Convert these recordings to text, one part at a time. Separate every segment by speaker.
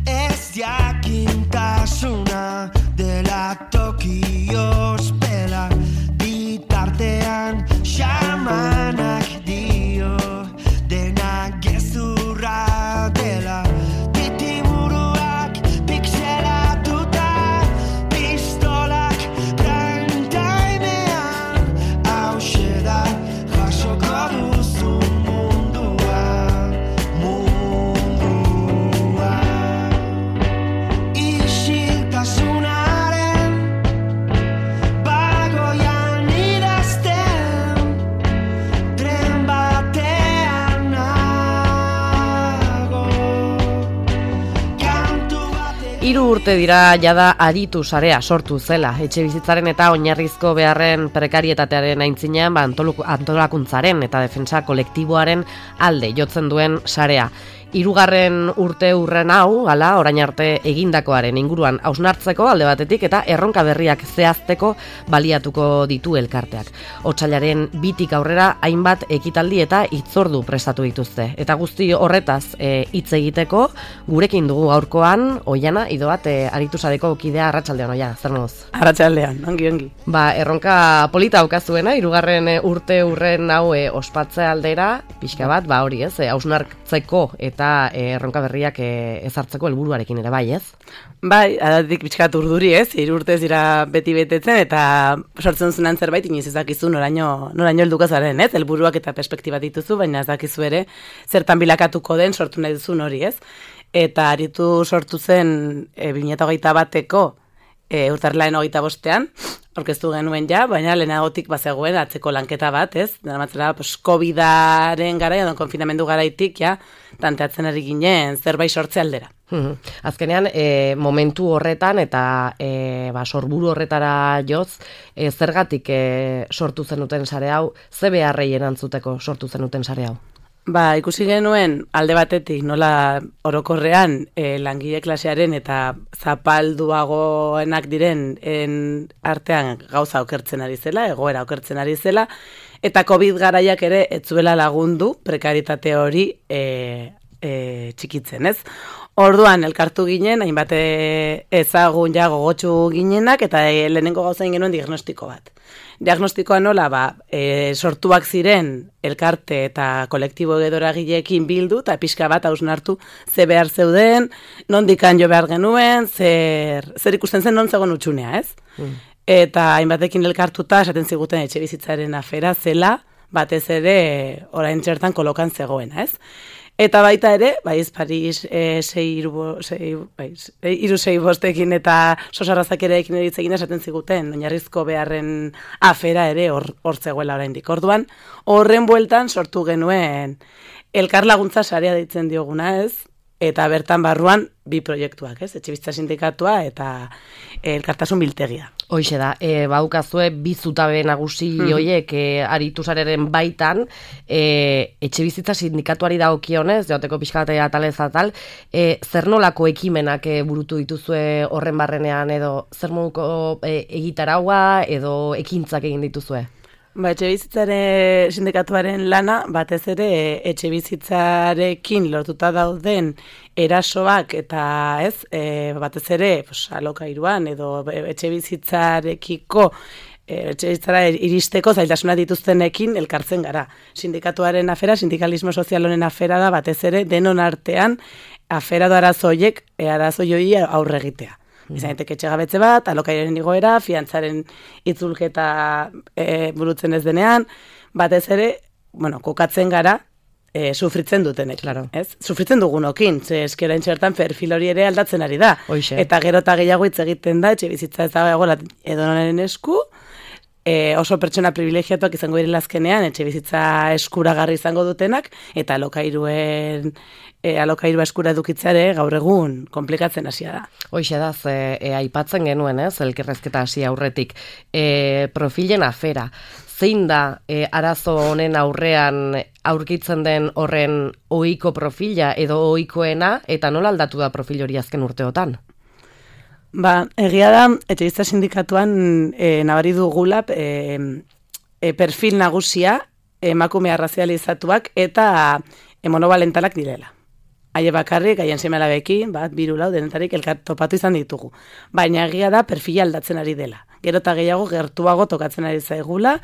Speaker 1: ez jakintasuna dela toki ospela, bitartean xamanak dio dena gezurra dela. Titimuruak pixelatuta, pistolak prime timean, hauxe da jasoko duzun mundua. Isiltasunaren bagoian idazten, tren batean nago, kantu batekin.
Speaker 2: 3 urte dira jada aritu sarea sortu zela. Etxebizitzaren eta oinarrizko beharren prekarietatearen aintzinean antolakuntzaren eta defentsa kolektiboaren alde jotzen duen sarea. 3. urte urren hau, orain arte egindakoaren inguruan hausnartzeko alde batetik eta erronka berriak zehazteko baliatuko ditu elkarteak. Otsailaren 2tik aurrera hainbat ekitaldi eta hitzordu prestatu dituzte. Eta guzti horretaz hitz egiteko gurekin dugu gaurkoan Oiana Idoat aritu sareko kidea. Arratsaldean, Oia, zer moduz?
Speaker 3: Arratsaldean, ongi.
Speaker 2: Erronka polita daukazuena, 3. urte urren hau ospatzea aldera, pixka bat, hori ez, hausnartzeko eta erronka berriak ezartzeko helburuarekin ere bai, ez?
Speaker 3: Bai, adatik pixkat urduri ez, 3 urtez dira beti betetzen eta sortzen zunan zerbait inoiz ez dakizu noraino helduko zaren, ez? Helburuak eta perspektiba dituzu, baina ez dakizu ere zertan bilakatuko den sortu nahi duzun hori, ez? Eta aritu sortu zen 2021eko urtarrilaren 25ean, aurkeztu genuen ja, baina lehenagotik bazegoen atzeko lanketa bat, ez? Daramatzela, COVID-aren garaian, konfinamendu garaitik, ja, tanteatzen ari ginen zerbait sortze aldera.
Speaker 2: Azkenean, momentu horretan eta sorburu horretara joz, zergatik sortu zenuten sare hau, ze beharrei erantzuteko sortu zenuten sare hau?
Speaker 3: Ikusi genuen alde batetik nola orokorrean langile klasearen eta zapalduagoenak diren artean gauza okertzen ari zela, egoera okertzen ari zela, eta COVID garaiak ere ez zuela lagundu prekaritate hori txikitzen, ez? Orduan elkartu ginen, hainbat ezagun ja gogotsu ginenak, eta lehenengo gauza egin genuen diagnostiko bat. Diagnostikoa nola, sortuak ziren elkarte eta kolektibo edoragileekin bildu, eta pixka bat hausnartu ze behar zeuden, nondikan jo behar genuen, zer ikusten zen non zegoen utxunea, ez? Eta hainbatekin elkartuta, esaten ziguten etxebizitzaren afera zela, batez ere orain txertan kolokan zegoena, ez? Eta baita ere, Paris 365 eta sosarrazak ere ekin eritzegin esaten ziguten, oinarrizko beharren afera ere hor zegoela oraindik. Orduan, horren bueltan sortu genuen elkar laguntza sarea deitzen dioguna, ez? Eta bertan barruan 2 proiektuak, ez? Etxebizitza sindikatua eta elkartasun biltegia.
Speaker 2: Hoixe da, baukazue 2 zutabe nagusi horiek aritu sareren baitan, etxebizitza sindikatuari dagokionez, joteko pixka bat atalez atal, zer nolako ekimenak burutu dituzue horren barrenean, edo zer moduko egitaraua edo ekintzak egin dituzue?
Speaker 3: Etxebizitzaren sindikatuaren lana, batez ere etxebizitzarekin lortuta dauden erasoak eta batez ere alokairuan edo etxebizitzarekiko etxebizitzara iristeko zailtasuna dituztenekin elkartzen gara. Sindikatuaren afera, sindikalismo sozial honen afera da batez ere denon artean afera da arazoioi aurre egitea. Izanetek etxegabetze bat, alokairen igoera, fiantzaren itzulketa burutzen ez denean, batez ere, kokatzen gara, sufritzen dutenek.
Speaker 2: Claro.
Speaker 3: Sufritzen dugunokin, eskerain txertan perfil hori ere aldatzen ari da.
Speaker 2: Hoixe.
Speaker 3: Eta gero eta gehiago hitz egiten da, etxe bizitza ez dagoela edonoren esku, oso pertsona privilegiatuak izango direla azkenean, etxe bizitza eskuragarri izango dutenak, eta alokairua eskura edukitzare gaur egun komplikatzen hasia da.
Speaker 2: Hoixe da, aipatzen genuen, elkarrezketa hasi aurretik. Profilen afera, zein da arazo honen aurrean aurkitzen den horren ohiko profila edo ohikoena, eta nola aldatu da profil hori azken urteotan?
Speaker 3: Egia da, etxebizitza sindikatuan nabari dugula perfil nagusia emakume arrazializatuak eta monobalentalak direla. haie bakarrik, haien seme-alabekin, bat, 3 lau, denetarik elkar topatu izan ditugu. Baina egia da perfila aldatzen ari dela. Gero eta gehiago gertuago tokatzen ari zaigula,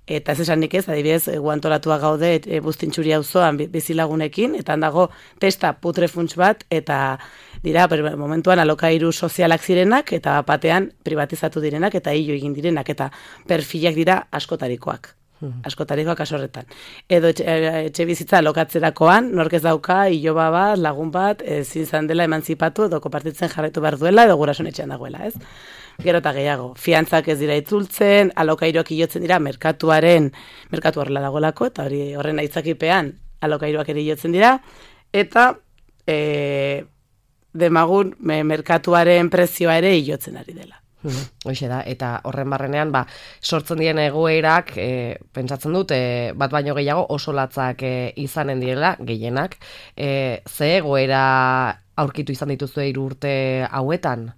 Speaker 3: eta ez esanik ez, adibidez, guantolatua gaude Buztintxuri auzoan bizilagunekin, eta handago testa putrefunts bat, eta dira, momentuan alokairu sozialak zirenak, eta batean privatizatu direnak, eta hilo egin direnak, eta perfilak dira askotarikoak. Askotarikoak asorretan. Edo etxe bizitza alokatzerakoan, nork ez dauka, iloba bat, lagun bat, ezin zan dela emantzipatu, edo konpartitzen jarraitu behar duela, edo gurason etxean dagoela, ez? Gero eta gehiago, fiantzak ez dira itzultzen, alokairuak ilotzen dira, merkatu horrela dagoelako, eta horren aitzakipean alokairuak ere ilotzen dira, eta demagun merkatuaren prezioa ere ilotzen ari dela.
Speaker 2: Hoxe da, eta horren barrenean, sortzen diren egoerak, pentsatzen dut, bat baino gehiago oso latzak izanen direla, gehienak, ze egoera aurkitu izan dituzu 3 urte hauetan?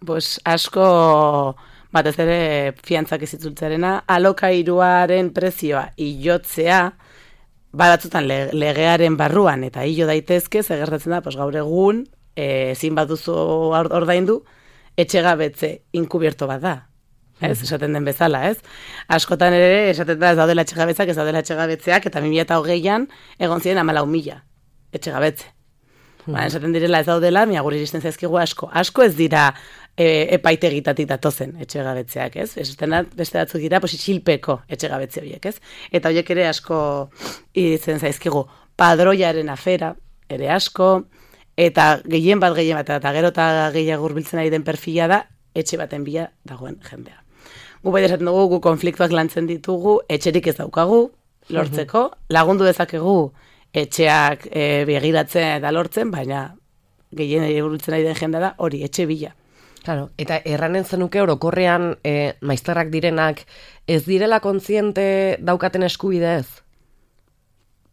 Speaker 3: Pues asko, batez ere fiantzak ez itzultzearena, alokairuaren prezioa ilotzea, batzutan legearen barruan, eta hilo daitezke, zegertatzen da, gaur egun, ezin baduzu ordaindu, etxegabetze inkubierto bat da. Ez, esaten den bezala, ez? Askotan ere, esaten da ez daudela etxegabetzeak, ez daudela etxegabetzeak, eta 2020an egon ziren 14.000 etxegabetze. Esaten direla ez daudela, guri iristen zaizkigu asko. Asko ez dira epaitegitatik datozen etxegabetzeak, ez? Esaten da, beste batzuk dira, isilpeko etxegabetze horiek, ez? Eta horiek ere asko iristen zaizkigu. Padroiaren afera, ere asko, eta gehien bat, eta gero eta gehiago hurbiltzen ari den perfila da, etxe baten bila dagoen jendea. Gu bai esaten dugu, gu konfliktuak lantzen ditugu, etxerik ez daukagu, lortzeko, lagundu dezakegu etxeak begiratzen eta lortzen, baina gehien hurbiltzen ari den jendea da, hori, etxe bila.
Speaker 2: Claro, eta erranen zenuke orokorrean maizterrak direnak ez direla kontziente daukaten eskubidez?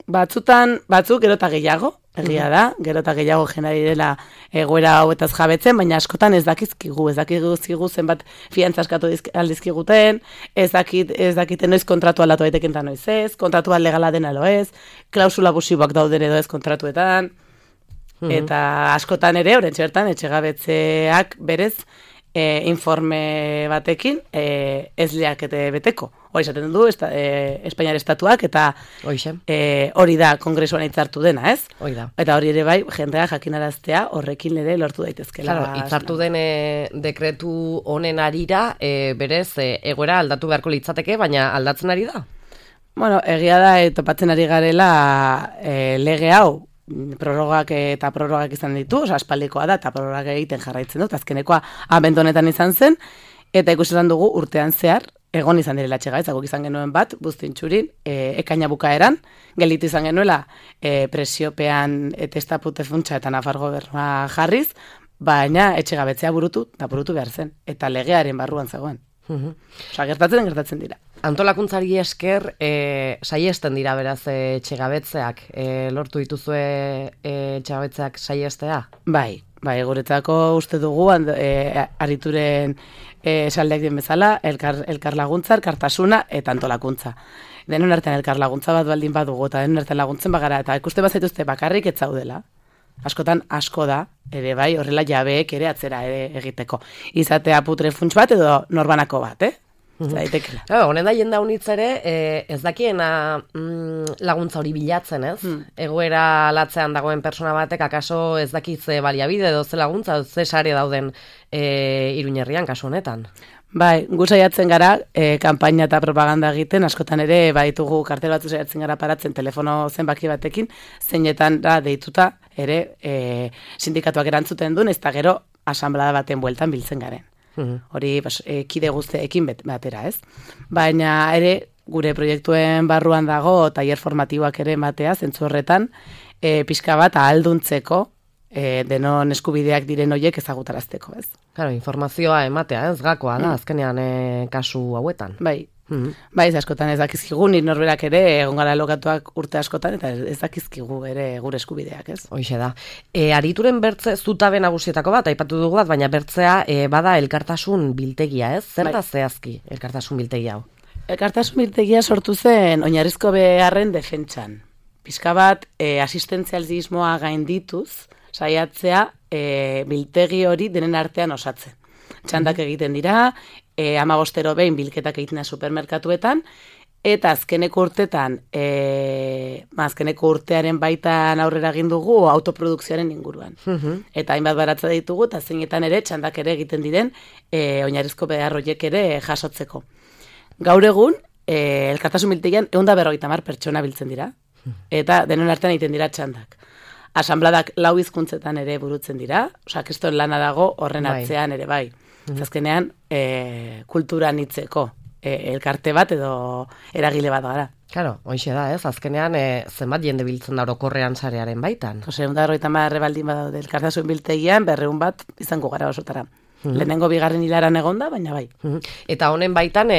Speaker 3: Batzuk gero eta gehiago, egia da, gero eta gehiago jena direla egoera hauetaz jabetzen, baina askotan ez dakizkigu zenbat fiantza askatu aldizkiguten, ez dakiten noiz kontratu aldatu daiteken eta noiz ez, kontratua legala dena alo ez, klausula abusiboak dauden edo ez kontratuetan, eta askotan ere, horren txertan, etxegabetzeak berez, informe batekin ez leakete beteko. Hori esaten du, Espainiar estatuak, eta hori da kongresuan hitzartu dena, ez? Eta hori ere bai, jendea jakinaraztea horrekin ere lortu daitezkela.
Speaker 2: Claro, hitzartu den dekretu honen arira, berez, egoera aldatu beharko litzateke, baina aldatzen ari da?
Speaker 3: Bueno, egia da, topatzen ari garela lege hau, prorrogak izan ditu, aspaldikoa da, eta prorrogak egiten jarraitzen dut, azkenekoa abendonetan izan zen, eta ikusten dugu urtean zehar, egon izan direla etxegabetzeak, izan genuen bat, Buztintxurin, ekaina bukaeran, gelditu izan genuela presiopean testa putefuntza eta Nafar gobernua jarriz, baina etxegabetzea burutu behar zen, eta legearen barruan zegoen. Gertatzen dira.
Speaker 2: Antolakuntzari esker, saiesten dira beraz etxegabetzeak, lortu dituzue etxegabetzeak saiestea? Bai,
Speaker 3: guretzako uste dugu, arituren esaldeak den bezala, elkar laguntza, elkartasuna eta antolakuntza. Denon artean elkar laguntza bat baldin badugu, eta denon artean laguntzen bagara, eta ikuste bazaituzte bakarrik ez zaudela. Askotan asko da, ere bai, horrela jabeek ere atzera egiteko. Izatea putrefunts bat edo norbanako bat, Zaitekela.
Speaker 2: Honen da jenda unitz ere, ez dakiena laguntza hori bilatzen, ez? Egoera latzean dagoen persona batek, akaso ez dakitze baliabide edo ze laguntza, ze sare dauden Iruñerrian kasu honetan.
Speaker 3: Bai, gu saiatzen gara, kanpaina eta propaganda egiten, askotan ere, baitugu kartel batzu saiatzen gara paratzen telefono zenbaki batekin, zeinetan da deituta ere sindikatuak erantzuten duen, ez da gero asanblada baten bueltan biltzen garen. Hori kide guzteekin batera, ez? Baina ere, gure proiektuen barruan dago, tailer formatiboak ere ematea, zentzu horretan, pixka bat ahalduntzeko, denon eskubideak diren horiek ezagutarazteko, ez?
Speaker 2: Claro, informazioa ematea, ez gakoa da, azkenean kasu hauetan.
Speaker 3: Bai, askotan ez dakizkigu, nire norberak ere, egon gara lokatuak urte askotan, eta ez dakizkigu ere gure eskubideak, ez?
Speaker 2: Hoxe da. Arituren bertze zutabe nagusietako bat, aipatu dugu bat, baina bertzea bada elkartasun biltegia, ez? Zer da zehazki elkartasun biltegia hau?
Speaker 3: Elkartasun biltegia sortu zen oinarrizko beharren defentsan. pixka bat asistentzialismoa gaindituz, saiatzea biltegi hori denen artean osatzen. Txandak egiten dira, 15 behin bilketak egiten da supermerkatuetan, eta azkeneko urtetan, azkeneko urtearen baitan aurrera egin dugu autoprodukzioaren inguruan. Eta hainbat baratza ditugu, eta zeinetan ere txandak ere egiten diren oinarrizko behar horiek ere jasotzeko. Gaur egun, elkartasun biltegian 150 pertsona biltzen dira, eta denon artean egiten dira txandak. Asanbladak 4 hizkuntzetan ere burutzen dira, kriston lana dago horren atzean ere bai. Azkenean, kultura nitzeko elkarte bat edo eragile bat gara.
Speaker 2: Claro, hoixe da, ez? Azkenean, zenbat jende biltzen da orokorrean sarearen baitan?
Speaker 3: 150 baldin badaude elkartasun biltegian, 200 bat izango gara osotara. Lehenengo bigarren hilaran egonda, baina bai.
Speaker 2: Eta honen baitan,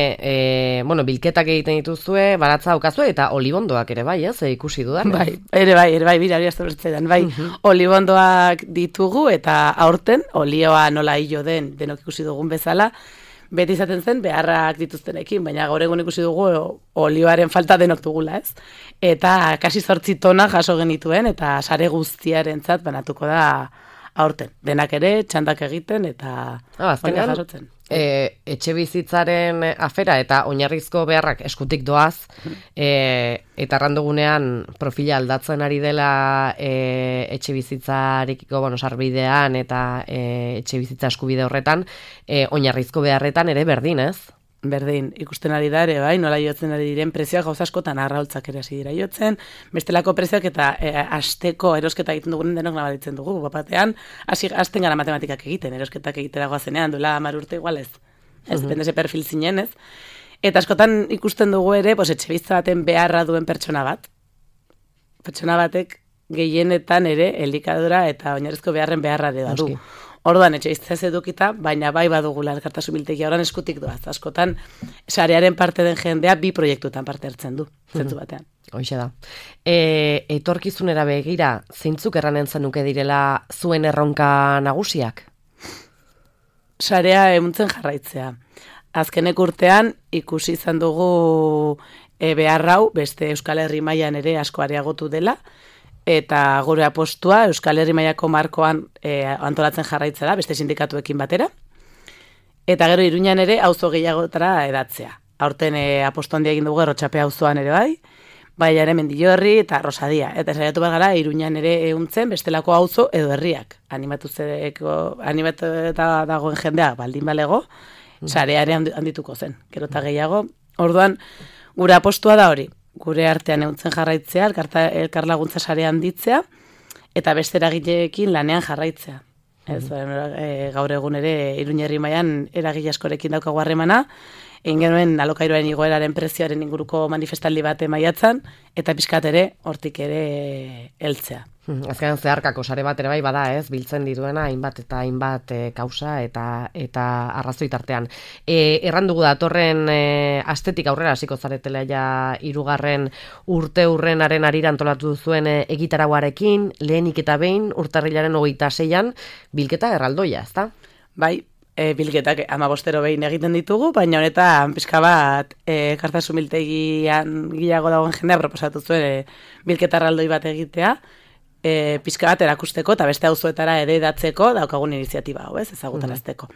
Speaker 2: bilketak egiten dituzue, baratza daukazue, eta olibondoak ere bai, ez? Ikusi dudan.
Speaker 3: Ere bai, bira hori aztertzen, bai. Olibondoak ditugu, eta aurten, olioa nola hilo den, denok ikusi dugun bezala, beti izaten zen beharrak dituztenekin, baina gaur egun ikusi dugu olioaren falta denok dugula, ez? Eta kasi 8 tona jaso genituen, eta sare guztiarentzat banatuko da aurten. Denak ere, txandak egiten, eta
Speaker 2: azkenean,
Speaker 3: jasotzen.
Speaker 2: Etxe bizitzaren afera eta oinarrizko beharrak eskutik doaz, eta errandugunean profila aldatzen ari dela etxe bizitzarekiko sarbidean eta etxe bizitza eskubide horretan, oinarrizko beharretan ere berdin, ez?
Speaker 3: Berdin, ikusten ari da ere, bai, nola jotzen ari diren prezioak gauza askotan arraultzak ere hasi dira jotzen, bestelako prezioak eta asteko erosketa egiten dugunen denok nabaritzen dugu, bapatean, hasten gara matematikak egiten, erosketak egitera goazenean, duela 10 urte igual ez, depende ze perfil zinen ez, eta askotan ikusten dugu ere, etxe bizitza baten beharra duen pertsona batek gehienetan ere elikadura eta oinarrizko beharren beharra ere du. Orduan, etxe bizitza ez edukita, baina bai badugula elkartasun biltegia orain eskutik doaz. Askotan, sarearen parte den jendea 2 proiektuetan parte hartzen du, zentzu batean.
Speaker 2: Hoixe da. Etorkizunera begira, zeintzuk erranen zenuke direla zuen erronka nagusiak?
Speaker 3: Sarea emuntzen jarraitzea. Azkenek urtean, ikusi izan dugu behar hau, beste Euskal Herri mailan ere asko areagotu dela, eta gure apostua Euskal Herri mailako markoan antolatzen jarraitzea da, beste sindikatuekin batera. Eta gero Iruñan ere auzo gehiagotara edatzea. Aurten apostu handia egin dugu Errotxape auzoan ere bai ere Mendillorri eta Rosadia. Eta saiatu bat gara Iruñan ere ehuntzen bestelako auzo edo herriak. Animatuta dagoen jendeak baldin balego, sareare handituko zen. Gero eta gehiago. Orduan, gure apostua da hori. Gure artean ehuntzen jarraitzea, elkarlaguntza sarea handitzea, eta beste eragileekin lanean jarraitzea. Gaur egun ere Iruñerri mailan eragile askorekin daukagu harremana, egin genuen alokairuaren igoeraren prezioaren inguruko manifestaldi bat maiatzan, eta pixkat ere hortik ere heltzea.
Speaker 2: Azkenean zeharkako sare bat ere bai bada, ez, biltzen dituena hainbat eta hainbat kausa eta arrazoi tartean. Errandugu datorren astetik aurrera hasiko zaretela ja 3. urte hurrenaren arira antolatu duzuen egitarauarekin, lehenik eta behin urtarrilaren 26an bilketa erraldoia, ezta?
Speaker 3: Bai, bilketak 15 behin egiten ditugu, baina honetan pixka bat elkartasun biltegian gehiago dagoen jendea proposatu zuen bilketa erraldoi bat egitea, pixka bat erakusteko eta beste auzoetara ere edatzeko daukagun iniziatiba hau, ez, ezagutarazteko.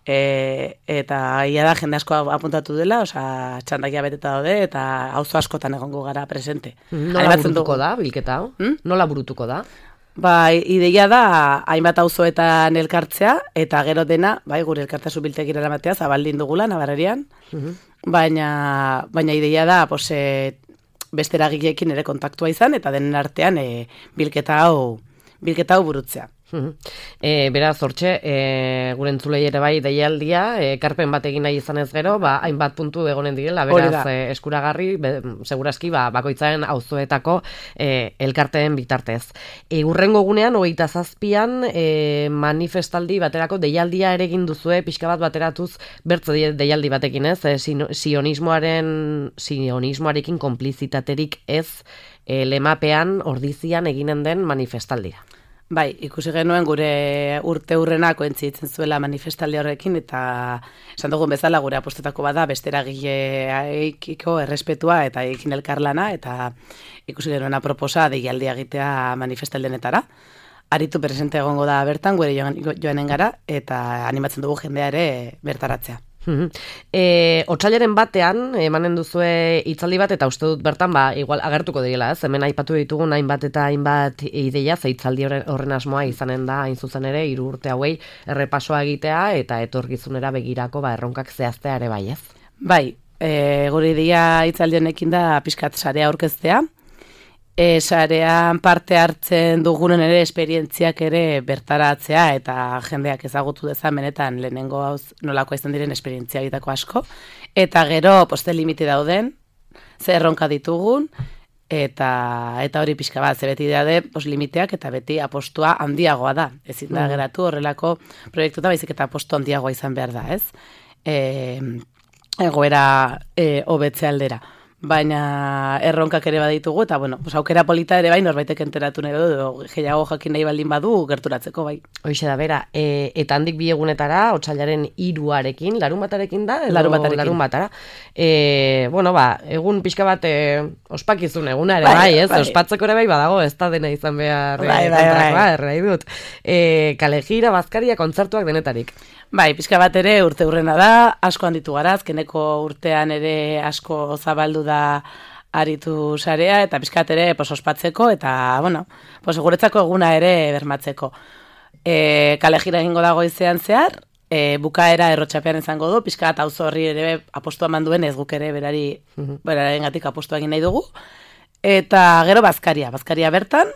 Speaker 3: Eta ia da jende asko apuntatu dela, txandakia beteta daude eta auzo askotan egongo gara presente.
Speaker 2: Nola burutuko da bilketa hau? Nola burutuko da?
Speaker 3: Ideia da hainbat auzoetan elkartzea eta gero dena, gure elkartasun biltegira eramatea zabaldin dugula Navarrerian, baina ideia da beste eragileekin ere kontaktua izan, eta denen artean bilketa hau burutzea.
Speaker 2: Beraz, hortxe, gure entzulei ere bai deialdia, ekarpen bat egin nahi izan ez gero, hainbat puntu egonen direla, beraz, eskuragarri, segurazki, bakoitzaren auzoetako elkarteen bitartez. Hurrengo gunean, 27an, manifestaldi baterako deialdia ere egin duzue, pixka bat bateratuz, bertze deialdi batekin ez, sionismoarekin konplizitaterik ez, lemapean, ordizian eginen den manifestaldira.
Speaker 3: Bai, ikusi genuen gure urte hurrena kointzitzen zuela manifestaldi horrekin, eta esan dugun bezala gure apostetako bada besteragileekiko errespetua eta ekin elkarlana, eta ikusi genuen aproposa deialdia egitea manifestaldenetara. Aritu presente egongo da bertan, gure joanen gara, eta animatzen dugu jendea ere bertaratzea.
Speaker 2: Otsailaren batean emanen duzue hitzaldi bat, eta uste dut bertan igual agertuko direla, ez? Hemen aipatu ditugun hainbat eta hainbat ideia, ze hitzaldi horren asmoa izanen da hain zuzen ere 3 urte hauei errepasoa egitea eta etorkizunera begirako erronkak zehaztea ere bai, ez?
Speaker 3: Bai, gure ideia hitzaldi honekin da pixkat sarea aurkeztea. Sarean parte hartzen dugunen ere esperientziak ere bertaratzea eta jendeak ezagutu dezan benetan lehenengo nolako izan diren esperientzia egiteko asko. Eta gero poste limite dauden, ze erronka ditugun, eta hori pixka bat, ze beti daude limiteak eta beti apostua handiagoa da. Ezin da geratu horrelako proiektuta baizik eta apostu handiagoa izan behar da, ez? Egoera hobetze aldera. Baina erronkak ere baditugu, eta aukera polita ere bai norbaitek enteratu nahi du, gehiago jakin nahi baldin badu gerturatzeko bai.
Speaker 2: Hoixe da, bera, eta handik 2 egunetara, otsailaren 3arekin, larunbatarekin da? Larunbatara. Egun pixka bat ospakizun eguna ere bai, ez? Ospatzeko ere bai badago, ez da dena izan behar errai dut. Kalejira, bazkaria, kontzertuak denetarik.
Speaker 3: Bai, pixka bat ere urte hurrena da, asko handitu gara, azkeneko urtean ere asko zabaldu da aritu sarea, eta pixkat ere ospatzeko, eta, guretzako eguna ere bermatzeko. Kalejira egingo dago goizean zehar, bukaera errotxapean izango du, pixkat auzo horri ere apostua eman duen, ez guk ere berarengatik apostua egin nahi dugu, eta gero bazkaria bertan,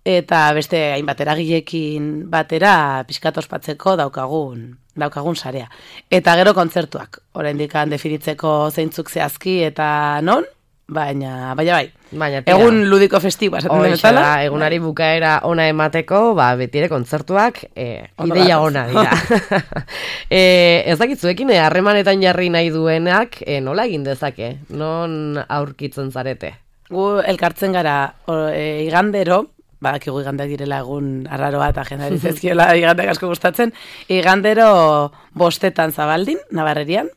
Speaker 3: eta beste hainbat eragileekin batera pixkat ospatzeko daukagun sarea. Eta gero kontzertuak, oraindik definitzeko zeintzuk zehazki eta non, baina bai. Egun ludiko festiboa esaten den bezala.
Speaker 2: Egunari bukaera ona emateko, betire kontzertuak ideia ona dira. Ez dakitzuekin harremanetan jarri nahi duenak nola egin dezake? Non aurkitzen zarete?
Speaker 3: Gu elkartzen gara igandero, badakigu igandeak direla egun arraroa eta jendari zezkiola igandeak asko gustatzen, igandero 5 Zabaldin, Nabarrerian,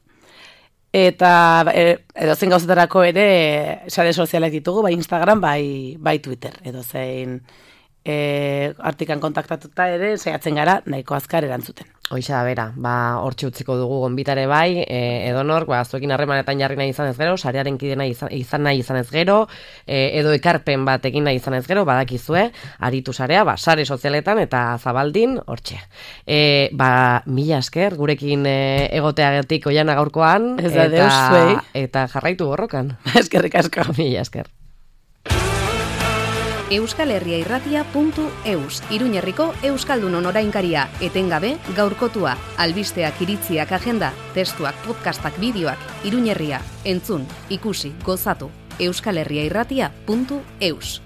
Speaker 3: eta edozein gauzetarako ere sare sozialak ditugu, bai Instagram, bai Twitter, edozein artikan kontaktatuta ere, saiatzen gara nahiko azkar erantzuten.
Speaker 2: Hoixa da, bera, hortxe utziko dugu gonbitare bai, edonor, zuekin harremanetan jarri nahi izan ez gero, sarearen kide izan nahi izan ez gero, edo ekarpen bat egin nahi izan ez gero, badakizue, aritu sarea, sare sozialetan eta Zabaldin, hortxe. Mila esker, gurekin egoteagatik Oiana gaurkoan, eta jarraitu borrokan.
Speaker 3: Eskerrik asko.
Speaker 2: Mila esker.
Speaker 4: euskalherriairratia.eus, Iruñerriko Euskaldunon orainkaria, etengabe, gaurkotua, albisteak, iritziak, agenda, testuak, podcastak, bideoak, Iruñerria, entzun, ikusi, gozatu, euskalherriairratia.eus.